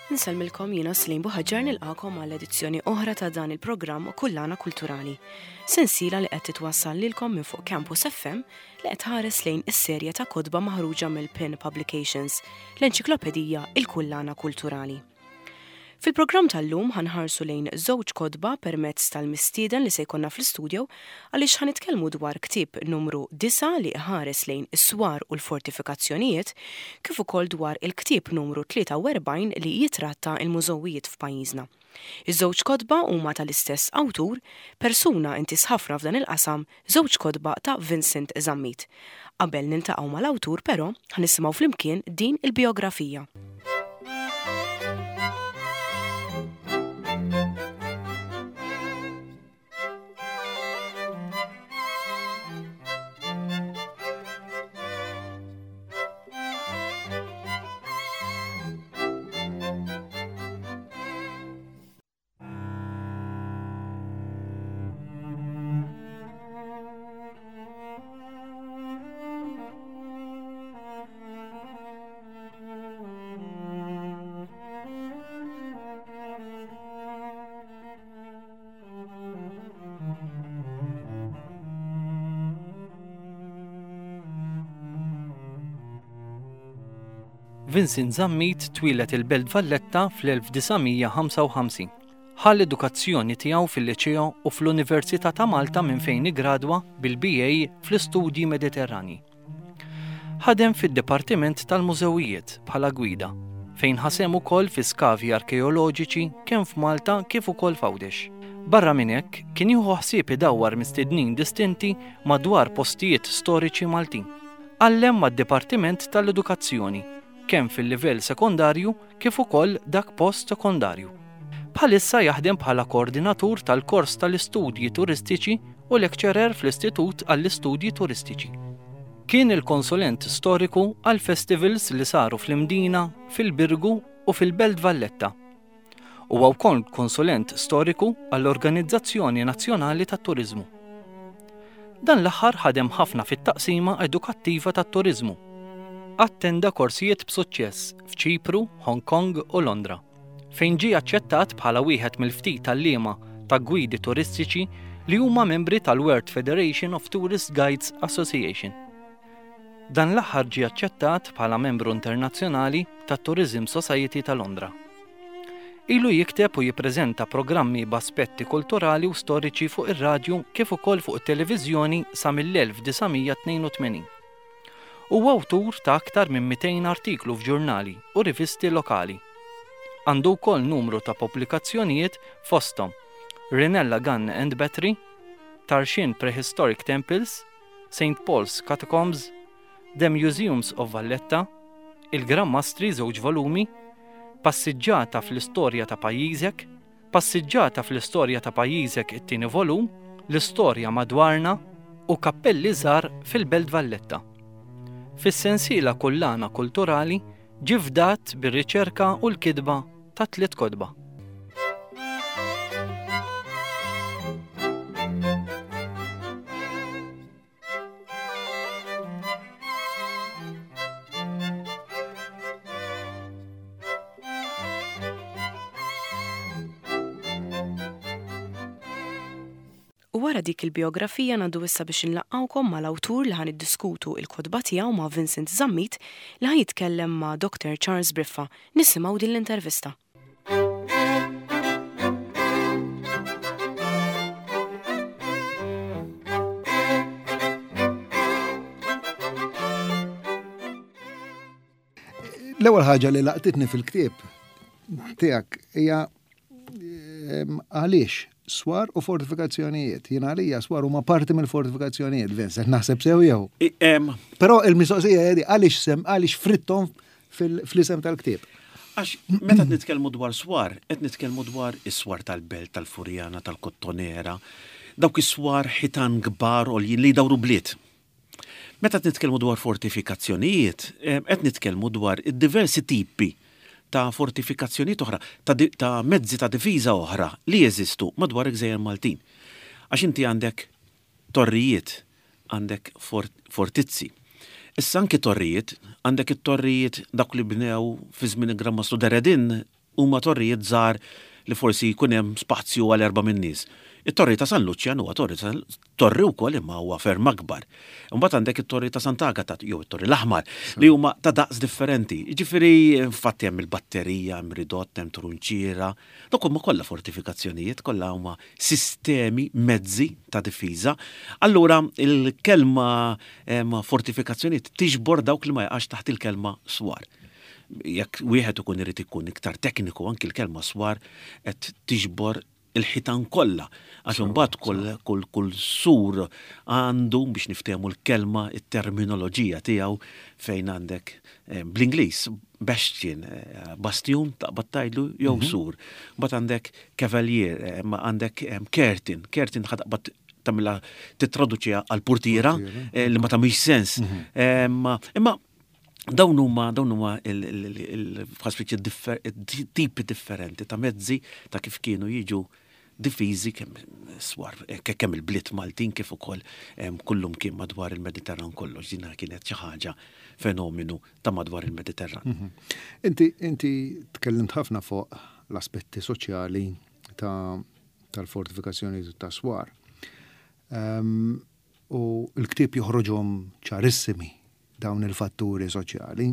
Nsellmilkom jiena Slim Buħaġar nilqakom għal edizzjoni oħra ta' dan il-programm Kullana Kulturali. Sensiela li qed titwassal lilkom minn fuq Campus FM li qed tħares lejn is-serje ta' kotba maħruġa mill-Pin Publications, l-enċiklopedija Il-Kullana Kulturali. Fil-programm tal-lum ħa nħarsu lejn żewġ kotba permezz tal-mistieden li se jkollna fl-istudio għaliex ħa nitkellmu dwar ktieb numru disgħa li iħares lejn is-swar u l-fortifikazzjonijiet kif ukoll dwar il-ktieb numru 43 li jitratta l-mużewijiet f'pajjiżna. Iż-żewġ kotba huma tal-istess awtur, persuna intiż ħafna f'dan il-qasam, żewġ kotba ta' Vincent Zammit. Qabel niltaqgħu mal-awtur però, ħa nisimgħu flimkien din il-bijografija. Vincent Zammit twieled il-Belt Valletta fl-1955. Ħa l-edukazzjoni tiegħu fil-Liċeo u fl-Università ta' Malta minn fejn iggradwa bil-BA fl-Istudji Mediterranji. Ħadem fid-Dipartiment tal-Mużewijiet bħala gwida, fejn ħa sehem ukoll fi skavi arkeoloġiċi kemm f'Malta kif ukoll f'Għawdex. Barra minn hekk, kien jieħu ħsieb idawwar mistednin distinti madwar postijiet storiċi Maltin. Għallem mad-Dipartiment tal-Edukazzjoni, kemm fil-livell sekondarju kif ukoll dak post-sekondarju. Bħalissa jaħdem bħala koordinatur tal-kors tal-istudji turistiċi u lecturer fl-Istitut għall-Istudji Turistiċi. Kien il-konsulent storiku għall-festivals li saru fl-Imdina, fil-Birgu u fil-Belt Valletta. Huwa wkoll konsulent storiku għall-Organizzazzjoni Nazzjonali tat-Turiżmu. Dan l-aħħar ħadem ħafna fit-taqsima edukattiva tat-turiżmu. Attenda korsijiet b'suċċess f'Ċipru, Hong Kong u Londra, fejn ġie aċċettat bħala wieħed mill-ftit għalliema ta' gwidi turistiċi li huma membri tal-World Federation of Tourist Guides Association. Dan l-aħħar ġie aċċettat bħala membru internazzjonali tat-Tourism Society ta' Londra. Ilu jikteb u jippreżenta programmi b'aspetti kulturali u storiċi fuq ir-radju kif ukoll fuq it-televiżjoni sa mill-1982. Huwa awtur ta' aktar minn 200 artiklu f'ġurnali u rivisti lokali. Għandu wkoll numru ta' pubblikazzjonijiet fosthom Rinella Gun and Battery, Tarxien Prehistoric Temples, St Paul's Catacombs, The Museums of Valletta, Il-Gran Mastri żewġ volumi, Passiġġata fl-istorja ta' pajjiżek, Passiġġata fl-istorja ta' pajjiżek it-tieni volum, L-istorja madwarna u Kappelli żgħar fil-Belt Valletta. Fis-sensiela Kullana Kulturali ġie fdat bir-riċerka u l-kitba ta' tliet kotba. U wara dik il-bijografija ngħaddu issa biex inlaqqgħukom mal-awtur li ħa niddiskutu il-kotba tiegħu ma' Vincent Zammit li ħa jitkellem ma' Doctor Charles Briffa. Nisimgħu din l-intervista. L-ewwel ħaġa li laqtitni fil-ktieb tiegħek hija ehm, għaliex swar u fortifikazzjonijiet. Jien għalija swar huma parti mill-fortifikazzjonijiet, Vincent, naħseb sew jew. Però il-mistoqsija hija għaliex sem għaliex frittom fl-isem tal-ktieb. Għax meta nitkellmu dwar swar, qed nitkellmu dwar is-swar tal-belt, tal-Furjana, tal-Kottonera, dawk is-swar ħitan kbar għoljin li jdawru bliet. Meta qed nitkellmu dwar fortifikazzjonijiet, qed nitkellmu dwar id-diversi tipi ta' fortifikazzjonijiet oħra, ta', ta mezzi ta' difiża oħra li jeżistu madwar il-gżejjer Maltin. Għax inti għandek torrijiet, għandek fortizzi. Issa anki torrijiet, għandek it-torrijiet dawk li bnew fi żmien il-Gran Mastru Deredin. huma torrijiet żgħar li forsi jkun hemm spazju għal erbgħa min-nies. It-Torri ta' San Luċjan huwa torri ta' torri wkoll imma huwa ferm akbar. Imbagħad għandek it-Torri ta' Sant'Agata jew it-Torri l-Aħmar li huma ta' daqs differenti. Jiġifieri infatti hemm il-batterija, hemm ridott, hemm trunċiera. Dawk huma kollha fortifikazzjonijiet, kollha huma sistemi, mezzi ta' difiża. Allura il-kelma fortifikazzjonijiet tiġbor dawk li ma jaqax taħt il-kelma swar. Jekk wieħed ikun irid ikun iktar tekniku anki l-kelma swar qed tiġbor il-ħitan kollha, għax imbagħad kull, kull, kull sur għandu biex niftehmu l-kelma, it-terminoloġija tiegħu fejn għandek eh, bl-Ingliż bastion, eh, bastjun taqbad tgħidlu jew mhm. sur. Mbagħad għandek cavalier, eh, għandek curtain, curtain ħa taqbad tagħmilha titraduċiha għal portiera li ma tagħmilx sens. Mhm. Imma dawn huma dawn huma il-tipi differenti ta' mezzi ta' kif kienu jiġu difiżi kemm swar eh, kemm il-bliet Maltin kif ukoll kullum kien madwar il-Mediterran kollox dina kienet xi ħaġa fenomenu ta' madwar il-Mediterran. Mhm. Inti inti tkellimt ħafna fuq l-aspetti soċjali ta' tal-fortifikazzjoni ta' swar. Um, u l-ktieb joħroġhom ċarissimi dawn il-fatturi soċjali.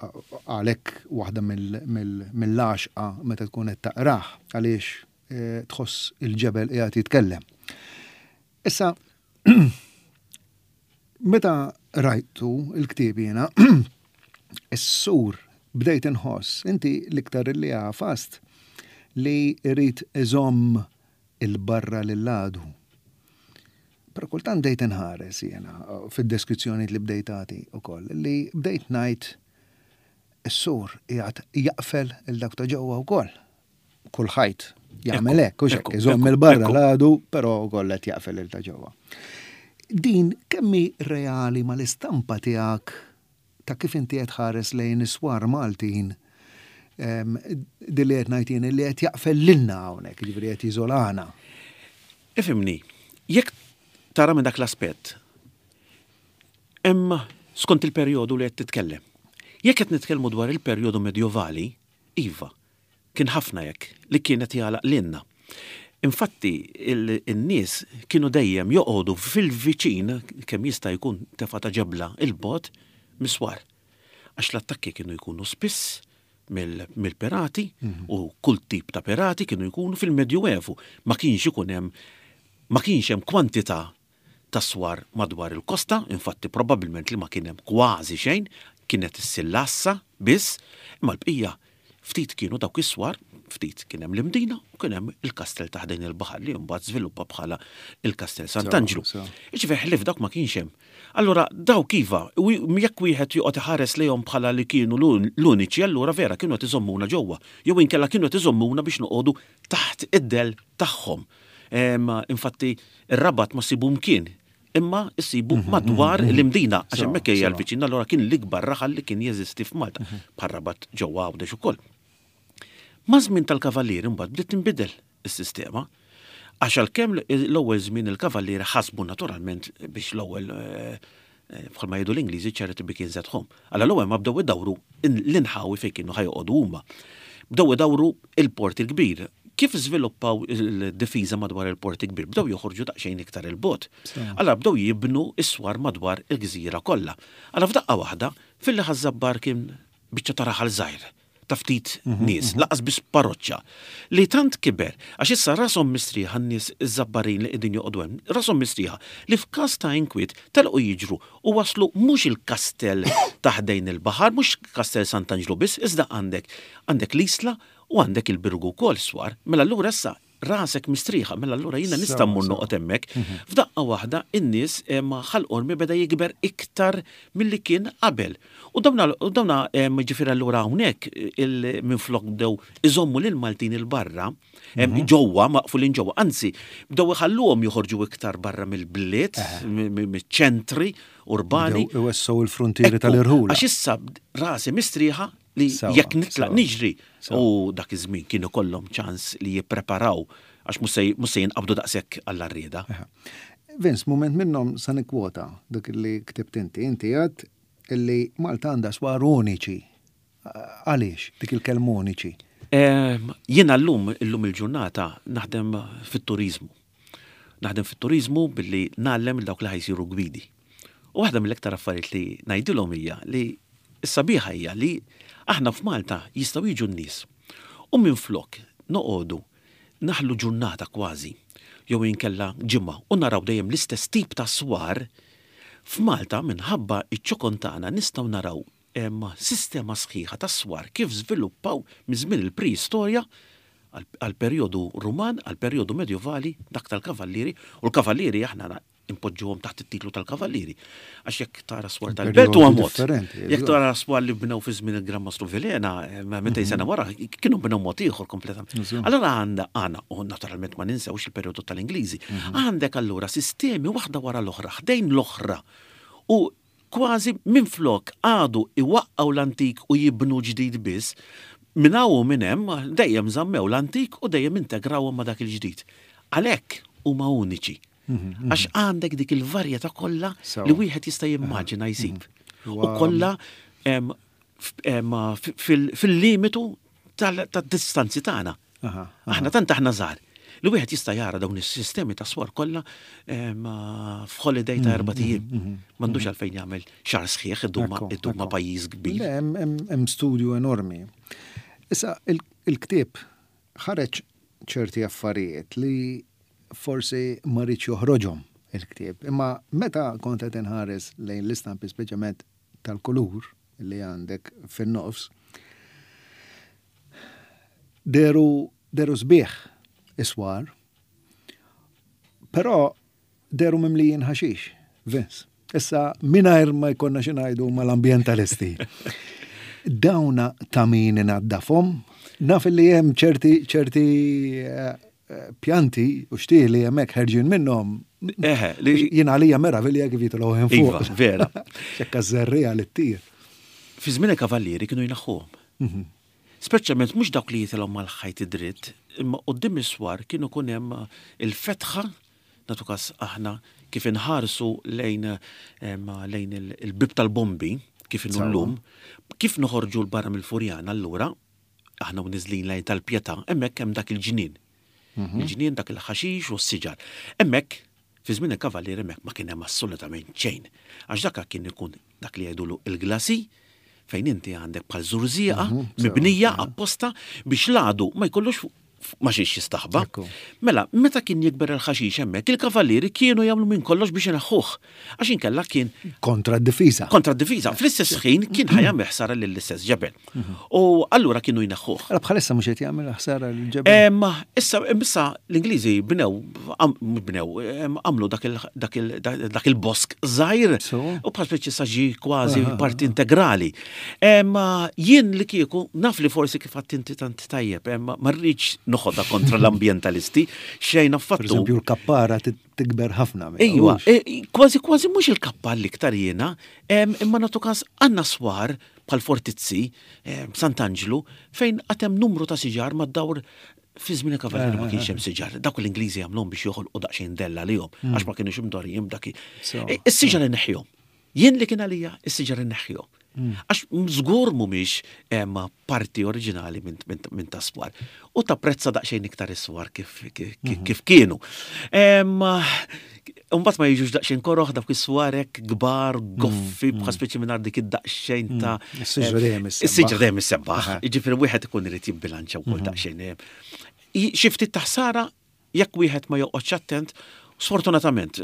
Għalhekk waħda mill-għaxqa meta tkun qed taqrah għaliex eh, tħoss il-ġebel qiegħed jitkellem. Issa meta rajtu il-ktieb jiena is-sur bdejt inħoss inti l-iktar li għafast li jrid iżomm il-barra lil għadu. Però kultant bdejt inħares jiena fid-deskrizzjonijiet li bdejt tagħti wkoll li bdejt ngħid is-sur qiegħed jaqfel il dak ta' ġewwa wkoll. Kull ħajt jagħmel hekk, hux hekk, iżomm il-barra l-għadu, però wkoll qed jaqfel il ta' ġewwa. Din kemm hi reali mal-istampa tiegħek ta' kif inti qed tħares lejn is-swar Maltin din li qed ngħid jien li qed jaqfel lilna hawnhekk, jiġifieri qed jiżolana. Ifhimni, jekk tara minn dak l-aspett, hemm skont il-perjodu li qed titkellem. Jekk qed nitkellmu dwar il-perjodu medjovali, iva, kien ħafna hekk li kien qed jagħlaq lilna. Infatti in-nies kienu dejjem joqogħdu fil-viċin kemm jista' jkun tefgħa ta' ġebla 'l bogħod mis-swar. Għax l-attakki kienu jkunu spiss mill-pirati u kull tip ta' pirati kienu jkunu fil-Medjuevu. Ma kienx ikun hemm ma kienx hemm kwantità ta' swar madwar il-kosta, infatti probabbilment li ma kien hemm kważi xejn, kienet issir l-għassa biss, imma l-bqija ftit kienu dawk is-swar, ftit kien hemm l-Imdina u kien hemm il-kastell ta' ħdejn il-baħar li mbagħad żviluppa bħala il-Kastell Sant'Anġlu. Jiġifieri ħlief dawk ma kienx hemm. Allura dawk iva, jekk wieħed joqgħod iħares lejhom bħala li kienu l-uniċi, allura vera kienu qed iżommuna ġewwa, jew inkella kienu qed iżommuna biex noqogħdu taħt id-dell tagħhom. Infatti ir-Rabat ma ssibu mkien, imma ssibu mhm, madwar mhm, mhm. l-Imdina, għax hemmhekk hija l-viċin, allura kien l-ikbar raħal li kien jeżisti f'Malta, bħal Rabat ġewwa Għawdex ukoll. Maż-żmien tal-Kavallieri mbagħad bdiet tinbidel is-sistema. Għax għalkemm l-ewwel żmien il-Kavallieri ħasbu naturalment biex l-ewwel eh, eh, bħalma jgħidu l-Ingliżi charity begins at home. Alla l-ewwel ma bdew idawru l-inħawi fejn kienu ħajoqogħdu huma. Bdew idawru il-Port il-Kbir. Kif żviluppaw il-difiża madwar il-Port il-Kbir? Bdew joħorġu daqsxejn iktar il-bogħod. Alla bdew jibnu s-swar madwar il-gżira kollha. Alla f'daqqa waħda, filli Ħaż-Żabbar kien biċċa ta' raħal żgħir ta' ftit mhm, nies, mhm. laqas biss parroċċa, li tant kiber, għax issa rashom mistrieħa n-nies iż-Żabbarin li qegħdin joqogħdu hemm, rashom mistrieħa li f'każ ta' inkwiet telqu jiġru u waslu mhux il-kastell ta' ħdejn il-baħar, mhux Kastell Sant'Anġlu biss, iżda għandek għandek l-Isla u għandek il-Birgu wkoll swar. Mela allura issa rasek mistrieħa, mela allura jiena nista' mmur noqgħod hemmhekk. Mhm. F'daqqa waħda in-nies eh, ma Ħal Qormi beda jikber iktar milli kien qabel. U dawna dawna eh, ġifieri allura hawnhekk minflok bdew iżommu lil Maltin il-barra, mhm. ġewwa maqfulin ġewwa, anzi bdew iħalluhom joħorġu iktar barra mill-bliet, miċ-ċentri urbani. Iwessgħu il-frontieri tal-irħula. Għax issa rasi mistrieħa li jekk nitlaq niġri u dak iż-żmien kienu kollhom ċans li jippreparaw għax mhux se jinqabdu daqshekk għall-arrieda. Vince, mument minnhom sa nikkwota dak li ktibt inti. Inti għedt illi Malta għandha swar uniċi. Għaliex dik il-kelma uniċi? Jiena llum, illum il-ġurnata, naħdem fit-turiżmu. Naħdem fit-turiżmu billi ngħallem lil dawk li ħa jsiru gwidi. U waħda mill-iktar affarijiet li ngħidilhom hija li s-sabiħa hija li aħna f'Malta jistgħu jiġu n-nies u minflok noqogħdu naħlu ġurnata kważi jew inkella ġimgħa u naraw dejjem l-istess tip ta' swar, f'Malta minħabba ċ-ċokon tagħna nistgħu naraw sistema sħiħa ta' swar kif żviluppaw minn żmien il-preistorja għall-perjodu Ruman, għall-perjodu Medjuvali, dak tal-Kavallieri, u l-Kavallieri aħna impoġġuhom taħt it-titlu tal-Kavallieri. Għax jekk tara swar tal-belt huwa mod. Jekk tara swar li bnew fi żmien il-Gran Mastru Vilhena, 200 sena wara, kienu bnew mod ieħor kompletament. Allura għandha għana, u naturalment ma ninsewx il-perjodu tal-Ingliżi, għandek allura sistemi waħda wara l-oħra, ħdejn l-oħra. U Kważi minflok qagħdu iwaqqgħu l-antik u jibnu ġdid biss, minn hawn u minn hemm dejjem żammew l-antik u dejjem integrawhom ma' dak il-ġdid. Għalhekk huma uniċi. Għax għandek dik il-varjetà kollha li wieħed jista' jimmaġina jsib. U kollha fil-limitu tad-distanzi tagħna. Aħna tant aħna żgħar li wieħed jista' jara dawn is-sistemi ta' swar kollha f'holiday ta' erbat ijiem. M'għandux għalfejn jagħmel xahar sħiħ idum ma' pajjiż kbir. Le, hemm studju enormi. Issa il-ktieb ħareġ ċerti affarijiet li forsi ma riedx joħroġhom il-ktieb, imma meta kont qed inħares lejn l-istampi speċjalment tal-kulur li għandek fin-nofs, Dehru dehru sbieħ is-swar, però dehru mimlijin ħaxix, Vince. Issa mingħajr ma jkollna xi ngħidu mal-ambjentalisti. Dawna ta' min inaddafhom, naf li hemm ċerti ċerti eh, pjanti u xtieli hemmhekk ħerġin minnhom. Eħe, li jien għalija meravilja kif jitilgħu hemm fuq. Iva, vera. Xekka żerriegħa li ttir. Fi żmien il-kavallieri kienu jnaħħuhom. Mhm. Speċjalment mhux dawk li jitilgħu mal-ħajt id-dritt, imma quddiem is-swar kien ikun hemm il-fetħa, nagħtu każ aħna kif inħarsu lejn lejn il-bieb tal-bombi kif inhu llum, kif noħorġu 'l barra mill-Furjana allura, aħna u niżlin lejn tal-Pietà, hemmhekk hemm dak il-ġnien. Il-ġnien dak il-ħaxix u s-siġar. Hemmhekk, fi żmien il-Kavallieri hemmhekk ma kien hemm assolutament xejn. Għax dak kien ikun dak li jgħidulu il-glasi, fejn inti għandek bħal żurżieqa mibnija apposta biex l-għadu ma jkollux ma xiex jistaħba. Mela, meta kien jikber il-ħaxix hemmhekk, il-kavallieri kienu jagħmlu minn kollox biex ineħħuh. Għax inkella kien. Kontra d-difiża. Kontra d-difiża. Fl-istess ħin kien ħa jagħmel ħsara lill-istess ġebel. U allura kienu jneħħuh. Allora bħalissa mhux qed jagħmel ħsara lill-ġebel? Issa, issa l-Ingliżi bnew, bnew, għamlu dak il-bosk żgħir u bħal speċi sa ġie kważi parti integrali. Jien li kieku naf li forsi kif għedt inti tant tajjeb, ma rridx noħodha kontra l-ambjentalisti, xejn affattu. Pereżempju l-kappara tikber ħafna. Ejwa, e, kważi kważi mhux il-kappa l-iktar jiena, imma nagħtu każ għandna swar bħal fortizzi, Sant'Anġlu, fejn għad hemm numru ta' siġar mad-dawr fi żmien il-kavallieri ma kienx hemm siġar. Dawk l-Ingliżi għamluhom biex joħolqu daqsxejn dell għalihom, għax ma kienux imdorrijin b'dak. E, is-siġar inneħħihom. Jien li kien għalija, is-siġar inneħħihom. Għax żgur mhumiex parti oriġinali minn ta' swar. U tapprezza daqsxejn iktar is-swar kif mhm. kienu. Imbagħad ma jiġux daqsxejn koroħ dawk is-swar hekk kbar, goffi, mm, bħal mm. speċi mingħajr dik id-daqsxejn mm. ta' Is-siġra dejjem is-sebbaħ. Is-siġra dejjem is-sebbaħ. Jiġifieri wieħed ikun irid jibbilanċja wkoll mhm. daqsxejn. Xi ftit ta' ħsara jekk wieħed ma joqgħodx attent, sfortunatament,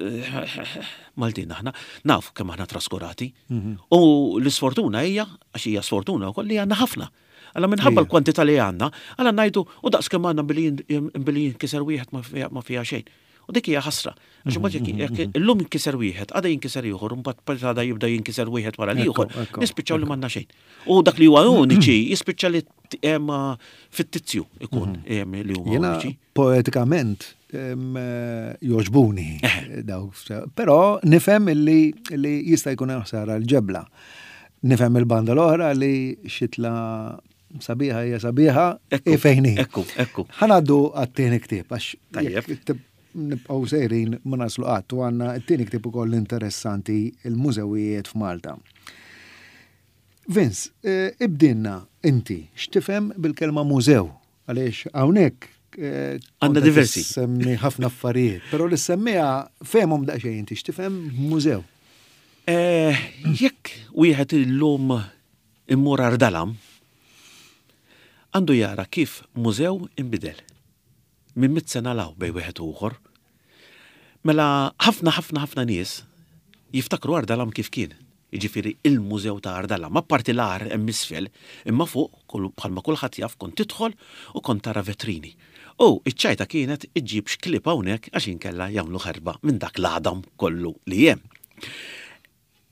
Maltin aħna, nafu kemm aħna traskurati. Mhm. U l-isfortuna hija, għax hija sfortuna wkoll li għandna ħafna. Alla minħabba l-kwantità li għandna, alla ngħidu u daqs kemm għandna billi jinkiser wieħed ma fiha xejn. U dik hija ħasra. Għax imbagħad jekk mhm, mhm, mhm. illum jinkiser wieħed, għada jinkiser ieħor, imbagħad għada jibda jinkiser wieħed wara l-ieħor, nispiċċaw li m'għandna xejn. U dak li huwa uniċi jispiċċa li fittizju ikun li huma uniċi. Poetikament jogħġbuni dawk, però nifhem li jista' jkun hemm ħsara l-ġebla. Nifhem il-banda l-oħra li xitla sabiħa hija sabiħa e fejn hi. Ekku, ekku. Ħa ngħaddu għat-tieni ktieb għax nibqgħu sejrin ma naslu qatt u għandna t-tieni ktieb ukoll interessanti il-mużewijiet f'Malta. Vince, eh, ibdinna inti x'tifhem bil-kelma mużew għaliex hawnhekk eh, għandna diversi. Semmi ħafna affarijiet, però li semmiha fehmhom daqsxejn inti x'tifhem mużew. Eh, jekk wieħed illum immur Ardalam, għandu jara kif mużew inbidel. Minn mit sena law bej wieħed u ieħor. Mela ħafna ħafna ħafna nies jiftakru Ardalam kif kien. Jiġifieri il-mużew ta' Ardalam, apparti l-għar hemm isfel, imma fuq bħalma kulħadd jaf kont tidħol u kont tara vetrini. U iċ-ċajta kienet iġġibx klieb hawnhekk għax inkella jagħmlu ħerba minn dak l-għadam kollu li hemm.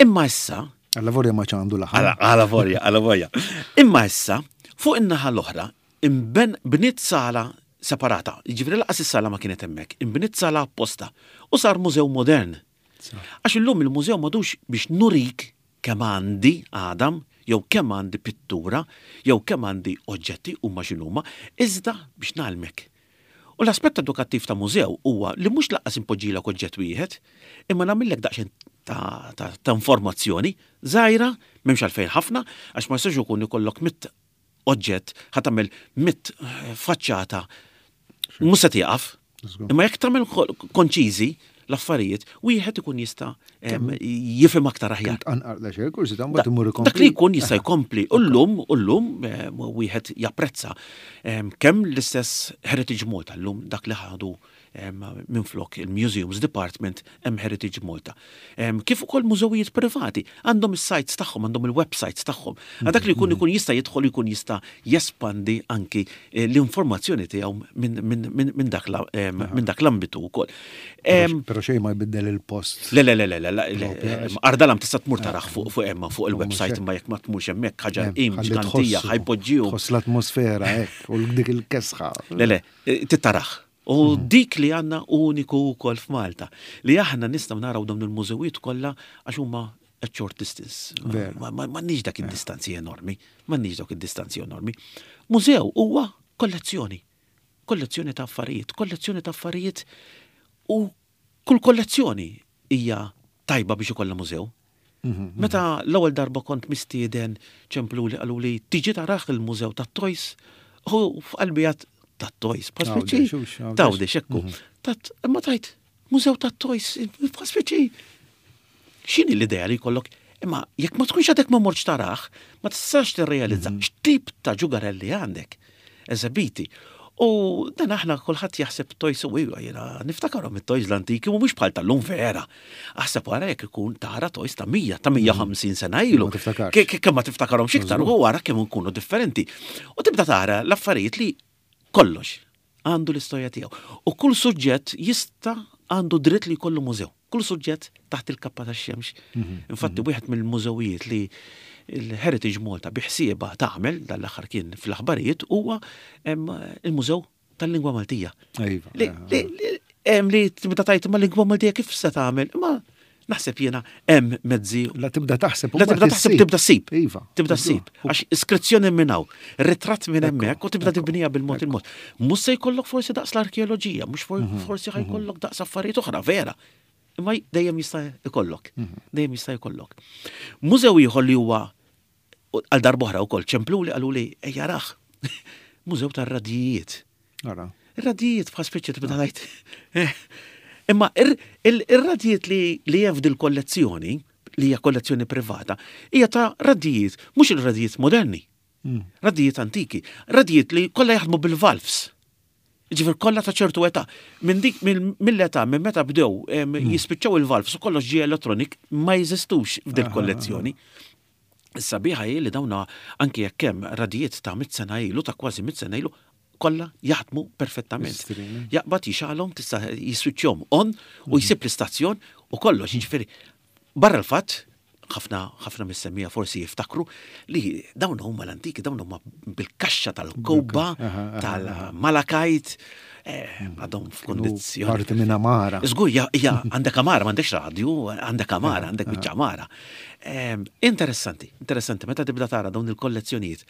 Imma issa. Alla vorja ma ċandu laħam. Alla vorja, alla vorja. Imma issa, fuq in-naħa l-oħra, imben bniet sala separata. Jiġifieri laqas is-sala ma kienet hemmhekk, inbniet sala apposta u sar mużew modern. Għax illum il-mużew m'għadux biex nurik kemm għandi għadam, jew kemm għandi pittura, jew kemm għandi oġġetti huma x'inhuma, iżda biex ngħallmek. U l-aspett edukattiv ta' mużew huwa li mhux lanqas inpoġġilek oġġett wieħed, imma nagħmillek daqsxejn ta', ta, ta informazzjoni żgħira, m'hemmx għalfejn ħafna, għax ma jistax ikun ikollok mit oġġett ħa tagħmel mit faċċata mhux se tieqaf. Imma jekk tagħmel konċiżi l-affarijiet, wieħed ikun jista' jifhem aktar aħjar. Dak li jkun jista' jkompli. U llum, u llum wieħed japprezza kemm l-istess Heritage Malta llum dak li ħadu minflok il-Museums Department hemm Heritage Malta. Kif ukoll mużewijiet privati għandhom is-sites tagħhom, għandhom il-websites tagħhom. Għal dak li jkun ikun jista' jidħol jkun jista' jespandi anki eh, l-informazzjoni tiegħu minn dak l-ambitu wkoll. Però xejn ma jbiddel il-post. Le, le, le, le, le, Ardalam tista' tmur taraħ fuq fuq hemm fuq il-website imma jekk ma tmurx hemmhekk ħaġa qim ġgantija ħajpoġġiju. Tħoss l-atmosfera hekk u dik il-kesħa. Le, le, eh, titaraħ. U mhm. dik li għandna uniku wkoll f'Malta, li aħna nistgħu naraw dawn il-mużewijiet kollha għax huma a short distance. M'għandniex dak id-distanzi enormi, m'għandniex dawk id-distanzi enormi. Mużew huwa kollezzjoni. Kollezzjoni ta' affarijiet, kollezzjoni ta' affarijiet u kull kollezzjoni hija tajba biex ikollha mużew. Mhm, Meta mhm. l-ewwel darba kont mistieden ċempluli qaluli tiġi taraħ il-mużew tat-toys, u f'qalbi għad tat-toys, bħal speċi. Tawdex ekku. Mhm. Tat, imma tajt, mużew tat-toys, bħal speċi. X'inhi l-idea li jkollok? Imma jekk ma tkunx għadek ma mortx tarah, ma tistax tirrealizza mhm. x'tip ta' ġugarelli għandek eżebiti. U dan aħna kulħadd jaħseb toys u iva jiena niftakarhom it-toys l-antiki u mhux bħal tal-lum vera. Aħseb wara jekk ikun tara toys ta' 100 ta' 150 mhm. sena ilu. Kemm ma tiftakarhomx iktar u wara kemm ikunu differenti. U tibda tara l-affarijiet li kollox għandu l-istorja tiegħu. U kull suġġett jista' għandu dritt li jkollu mużew. Kull suġġett taħt il-kappa tax-xemx. Mhm, Infatti mhm. wieħed mill-mużewijiet li l-Heritage Malta biħsieba tagħmel dal-aħħar kien fl-aħbarijiet huwa il-Mużew tal-Lingwa Maltija. Iva, li tibda tajt ma lingwa Maltija kif se tagħmel? Imma Naħseb jiena hemm mezzi. La tibda taħseb. La tibda taħseb tibda ssib. Iva. Tibda ssib. Għax iskrizzjoni minn hawn, ritratt minn hemmhekk u tibda tibnija bil-mod il-mod. Mhux se jkollok forsi daqs l-arkeoloġija, mhux mhm, forsi mhm. ħajkollok daqs affarijiet oħra, vera. Imma dejjem jista' jkollok. Mhm. Dejjem jista' jkollok. Mużew ieħor li huwa għal darb'oħra wkoll ċempluli qaluli ejja rah. Mużew tar-radijiet. Ara. Ir-radijiet bħal speċi tibda ngħid. Eh, imma ir-radijiet li hemm f'dil kollezzjoni, li hija kollezzjoni privata, hija ta' radijiet, mhux il-radijiet moderni. Hmm. Radijiet antiki, radijiet li kollha jaħdmu bil-valves. Ġifier kollha ta' ċertu età. Minn dik mill-età minn meta bdew hmm. jispiċċaw il-valves u kollox ġie elettronik ma jeżistux f'dil kollezzjoni. Is-sabiħa hi li dawn anki jekk hemm radijiet ta' mitt sena ilu, ta' kważi mitt sena ilu, kollha jaħdmu perfettament. Jaqbad jixgħalhom, tista' jiswiċċjhom on u mhm. jsib l-istazzjon u kollox, jiġifieri barra l-fatt ħafna ħafna mis-semmija forsi jiftakru li dawn huma l-antiki, dawn huma bil-kaxxa tal-kowba, tal-malakajt, eh, għadhom f'kondizzjoni. Parti minn amara. Żgur, ja, għandek amara, m'għandekx radju, għandek amara, għandek biċċa amara. Interessanti, interessanti, meta tibda tara dawn il-kollezzjonijiet.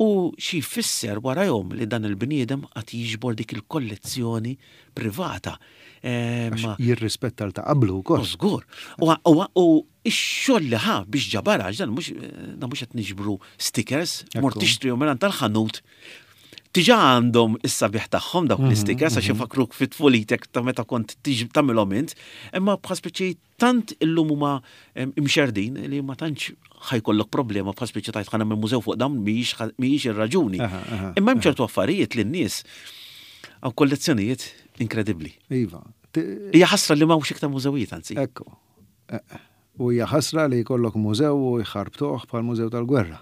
U xi jfisser warajhom li dan il-bniedem qed jiġbor dik il-kollezzjoni privata. Għax jirrispetta l ta' qablu wkoll. Żgur. U x-xogħol li ħa biex ġabarha, għax dan mhux dan mhux qed niġbru stickers, mort tixtrihom minn tal-ħanut. Diġà għandhom is-sabiħ tagħhom dawk l-istickers għax ifakruk fit tfulitek ta' meta kont tagħmilhom int, imma bħal speċi Tant illum huma imxerrdin li ma tantx ħa jkollok problema bħal spiċċa tgħid ħa nagħmel mużew fuq dawn mhijiex ir-raġuni. Imma hemm ċertu affarijiet li n-nies hawn kollezzjonijiet inkredibbli. Iva. Hija ħasra li m'hawnx iktar mużewijiet anzi. Ekku. U hija ħasra li jkollok mużew u jħarbtuh bħal mużew tal-gwerra.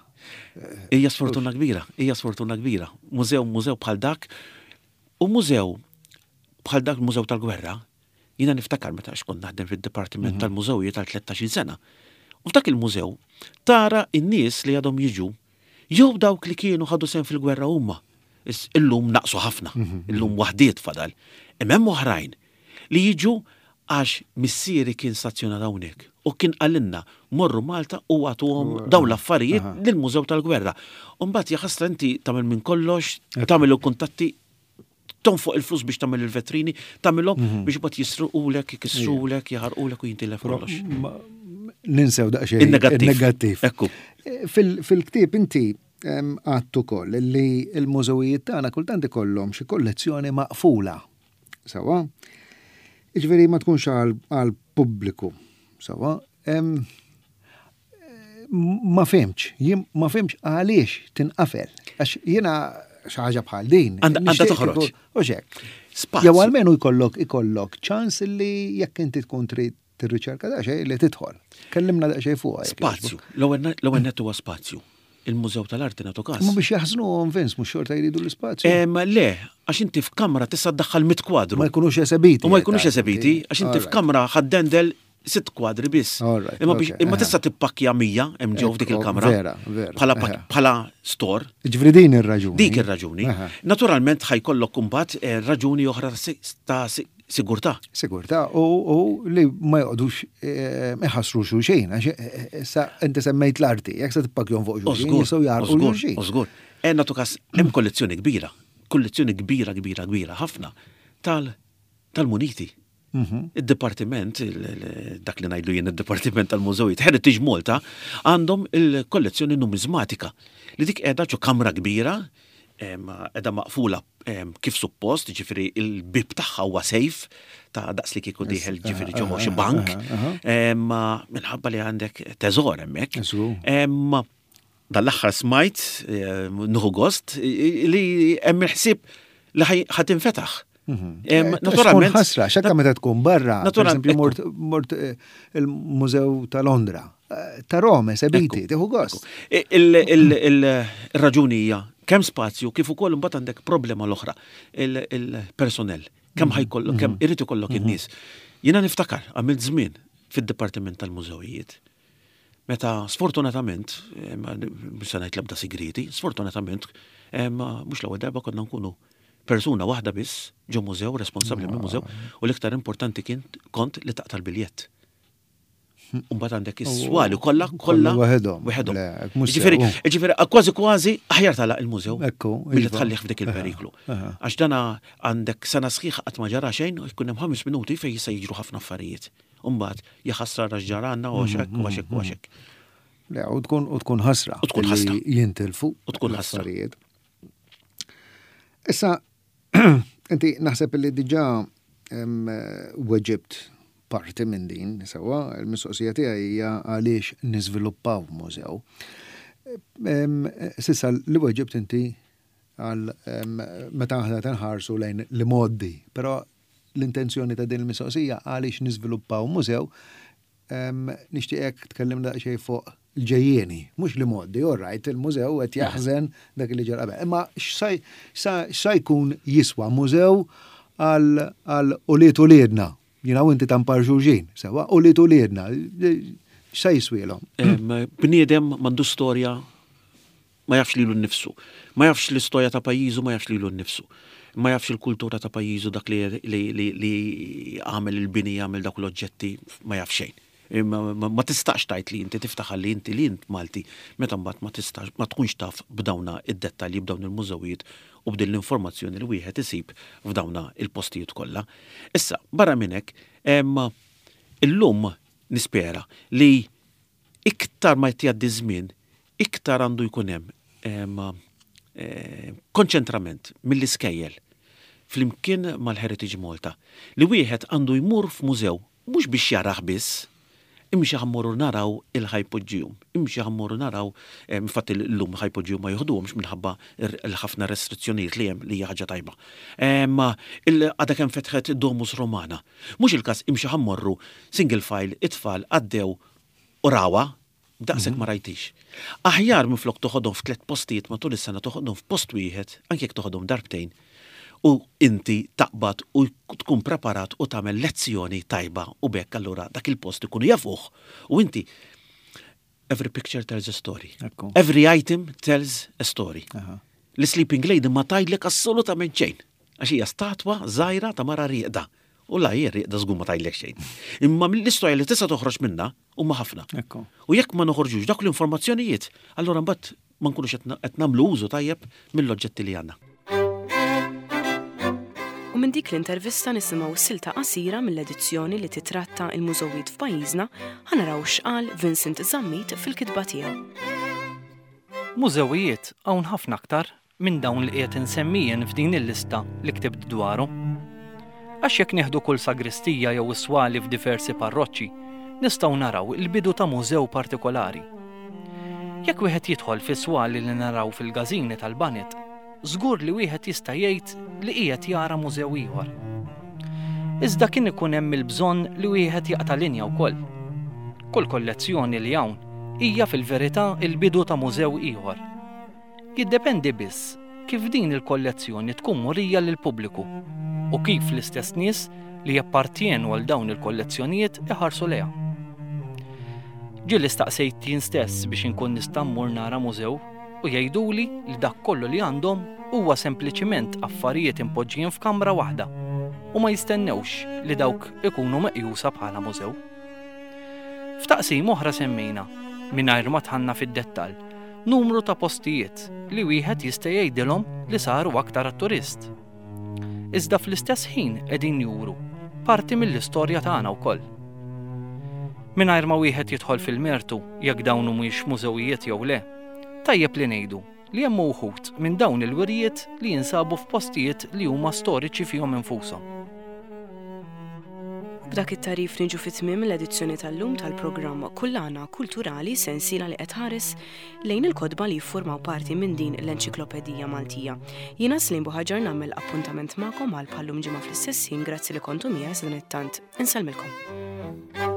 Hija sfortuna kbira, hija sfortuna kbira. Mużew, mużew bħal dak u mużew bħal dak il-mużew tal-gwerra Jiena niftakar meta għax kont naħdem fid-dipartiment tal-mużewijiet għal 13-il sena. U f'dak il-mużew tara n-nies li għadhom jiġu jew dawk li kienu ħadu sehem fil-gwerra huma. Illum naqsu ħafna, illum waħdiet fadal. Imma hemm oħrajn li jiġu għax missieri kien stazzjonat hawnhekk u kien qalilna morru Malta u agħtuhom dawn l-affarijiet lill-Mużew tal-Gwerra. U mbagħad jaħasra inti tagħmel minn kollox, tagħmel il-kuntatti, tonfoq il-flus biex tagħmel il-vetrini, tagħmilhom mhm. biex bad jisruqulek, jkissrulek, jaħarqulek u jintilef kollox. Ninsew daqsxejn. Il-negattiv. Ekku. Eh, fil-ktieb inti għattu koll li l-mużewijiet tagħna kultant ikollhom xi kollezzjoni maqfula. Sawa? Iġveri ma tkunx għal pubbliku. Sawa? Ma fhimtx, jien ma fhimtx għaliex tinqafel. Għax jiena xi ħaġa bħal din. Għandha toħroġ. U xek. Jew għalmenu jkollok ikollok ċans li jekk inti tkun trid tirriċerka daqsxejn li tidħol. Kellimna daqsxejn fuqha. Spazju. L-ewwel nett huwa spazju. Il-Mużew tal-Arti nagħtu każ. Ma biex jaħżnuhom Vince mhux xorta jridu l-ispazju. Le, għax inti f'kamra tista' ddaħħal mit kwadru. Ma jkunux esebiti. U ma jkunux esebiti, għax inti f'kamra ħaddendel sitt kwadri biss. Imma biex imma tista' tippakkja 100 hemm ġew f'dik il-kamra. Vera, vera. Bħala bħala store. Ġifieri din ir-raġuni. Dik ir-raġuni. Naturalment ħajkollok imbagħad eh, raġuni oħra ta' sigurtà. Sigurtà u li ma joqgħodux eh, iħassru xulxin għax eh, issa inti semmejt l-arti, jekk se tippakkjhom fuq xulxin jistgħu jarqu xulxin. Żgur. Eh, nagħtu każ hemm kollezzjoni kbira, kollezzjoni kbira kbira kbira ħafna tal tal-muniti. Id-dipartiment, dak li ngħidlu jien id-dipartiment tal-mużewijiet, Heritage Malta, għandhom il-kollezzjoni numizmatika li dik qiegħda ġo kamra kbira, qiegħda maqfula kif suppost, ġifieri il-bib tagħha huwa safe ta' daqs li kieku dieħel ġifieri ġo xi bank, minħabba li għandek teżor hemmhekk. Dan l-aħħar smajt, nuħu gost, li hemm il-ħsieb li ħa tinfetaħ. Mhm. Naturalment. Ħasra, xakka meta tkun barra. Naturalment. Mort, mort eh, il-Mużew ta' Londra, eh, ta' Rome, sebiti, tieħu gost. Il-raġuni hija kemm spazju kif ukoll imbagħad għandek problema l-oħra, il-personnel. Kemm mhm. ħajkollok, kemm mhm. irid ikollok in-nies. Jiena niftakar għamilt żmien fid-Dipartiment tal-Mużewijiet. Meta sfortunatament, mhux se ngħid l-ebda sigrieti, sfortunatament, mhux l-ewwel darba konna nkunu persuna waħda biss ġo mużew, responsabbli minn mużew, u l-iktar importanti kien kont li taqta' l-biljett. Umbagħad għandek is-swali kollha kollha waħedhom. Waħedhom. Ġifieri, ġifieri kważi kważi aħjar tagħlaq il-mużew milli tħallih f'dik il-periklu. Għax dana għandek sena sħiħa qatt ma ġara xejn u jkun hemm ħames minuti fejn jista' jiġru ħafna affarijiet. U mbagħad, ja ħasra ra x'ġara għandna u għax hekk u għax hekk u għax hekk. Le, u tkun u tkun ħasra. U tkun ħasra. Jintilfu. U tkun ħasra. Issa, inti naħseb li diġà weġibt parti minn din, sewwa, il-mistoqsija tiegħi hija għaliex niżviluppaw mużew. Sissa li weġibt inti għal meta aħna tinħarsu lejn l-imgħoddi, però l-intenzjoni ta' din il-mistoqsija għaliex niżviluppaw mużew, nixtieqek tkellimna daqsxejn fuq il-ġejjieni, mhux l-imgħoddi, all right, il-mużew qed jaħżen dak li ġara qabel. Imma x'sa jkun jiswa mużew għal ulied uliedna? Jiena u inti ta' mpar xulxin, sewwa, ulied uliedna, x'sa jiswielhom? Bniedem m'għandux storja Ma jafx lilu nnifsu. Ma jafx l-istorja ta' pajjiżu, ma jafx lilu nnifsu. Ma jafx il-kultura ta' pajjiżu, dak li li li għamel il-bini, għamel dawk l-oġġetti, ma jaf xejn. Ma tistax tgħid li inti tiftaħar li inti li int Malti meta mbagħad ma tistax ma tkunx taf b'dawna id-dettalji b'dawn il-mużewijiet u b'din l-informazzjoni li wieħed isib f'dawna il-postijiet kollha. Issa, barra minn hekk, illum nispera li iktar ma qed jgħaddi ż-żmien, iktar għandu jkun hemm konċentrament mill-iskejjel flimkien mal-Heritage Malta li wieħed għandu jmur f'mużew mhux biex jarah biss, imxi ħa mmorru naraw il-ħajpoġġihom, imxi ħa mmorru naraw, infatti llum ħajpoġġihom ma joħduhomx minħabba l-ħafna restrizzjonijiet li hemm li hija ħaġa tajba. Għadha kemm fetħet Domus Romana. Mhux il-każ imxi ħa mmorru single file it-tfal għaddew u rawha, daqshekk ma rajtix. Aħjar minflok toħodhom f'tliet postijiet matul is-sena toħodhom f'post wieħed, anke jekk toħodhom darbtejn, u inti taqbad u tkun preparat u tagħmel lezzjoni tajba u b'hekk allura dak il-post ikunu jafuh u inti every picture tells a story. Every item tells a story. L-Sleeping Lady ma tgħidlek assolutament xejn għax hija statwa żgħira ta' mara rieqda. U la hija rieqda żgur ma tgħidlek xejn. Imma mill-istorja li tista' toħroġ minnha huma ħafna. U jekk ma noħorġux dawk l-informazzjonijiet, allura mbagħad ma nkunux qed nagħmlu użu tajjeb mill-oġġetti li għandna. U minn dik l-intervista nisimgħu silta qasira mill-edizzjoni li titratta il-mużewijiet f'pajjiżna, ħa naraw x'qal Vincent Zammit fil-kitba tiegħu. Mużewijiet hawn ħafna aktar minn dawn li qiegħed insemmi jien f'din il-lista li ktibt dwarhom. Għax jekk nieħdu kull sagristija jew is-swali f'diversi parroċċi, nistgħu naraw il-bidu ta' mużew partikolari. Jekk wieħed jidħol fis-swali li naraw fil-gażini tal-baned, żgur li wieħed jista' jgħid li qiegħed jara mużew ieħor. Iżda kien ikun hemm il-bżonn li wieħed jaqta' linja wkoll. Kull kollezzjoni li hawn hija fil-verità l-bidu ta' mużew ieħor. Jiddependi biss kif din il-kollezzjoni tkun murija lill-pubbliku u kif l-istess nies li jappartjenu għal dawn il-kollezzjonijiet iħarsu lejha. Ġieli staqsejt jien stess biex inkun nista' mmur nara mużew u jgħiduli li dak kollu li għandhom huwa sempliċiment affarijiet impoġġijin f'kamra waħda u ma jistennewx li dawk ikunu meqjusa bħala mużew. F'taqsim oħra semmejna, mingħajr ma dħalna fid-dettall, numru ta' postijiet li wieħed jista' jgħidilhom li saru aktar għat-turist. Iżda fl-istess ħin qegħdin juru parti mill-istorja tagħna wkoll. Mingħajr ma wieħed jidħol fil-mertu jekk dawn humiex mużewijiet jew le, tajjeb li ngħidu li hemm uħud minn dawn il-wirjiet li jinsabu f'postijiet li huma storiċi fihom infushom. B'dak it-tagħrif niġu fi tmiem l-edizzjoni tal-lum tal-programm Kullana Kulturali, sensiela li qed tħares lejn il-kotba li jiffurmaw parti minn din l-enċiklopedija Maltija. Jiena Slim Buħaġar nagħmel appuntament magħkom għal bħallum ġimgħa fl-istess ħin, grazzi li kontu miegħi sadanittant insellmilkom.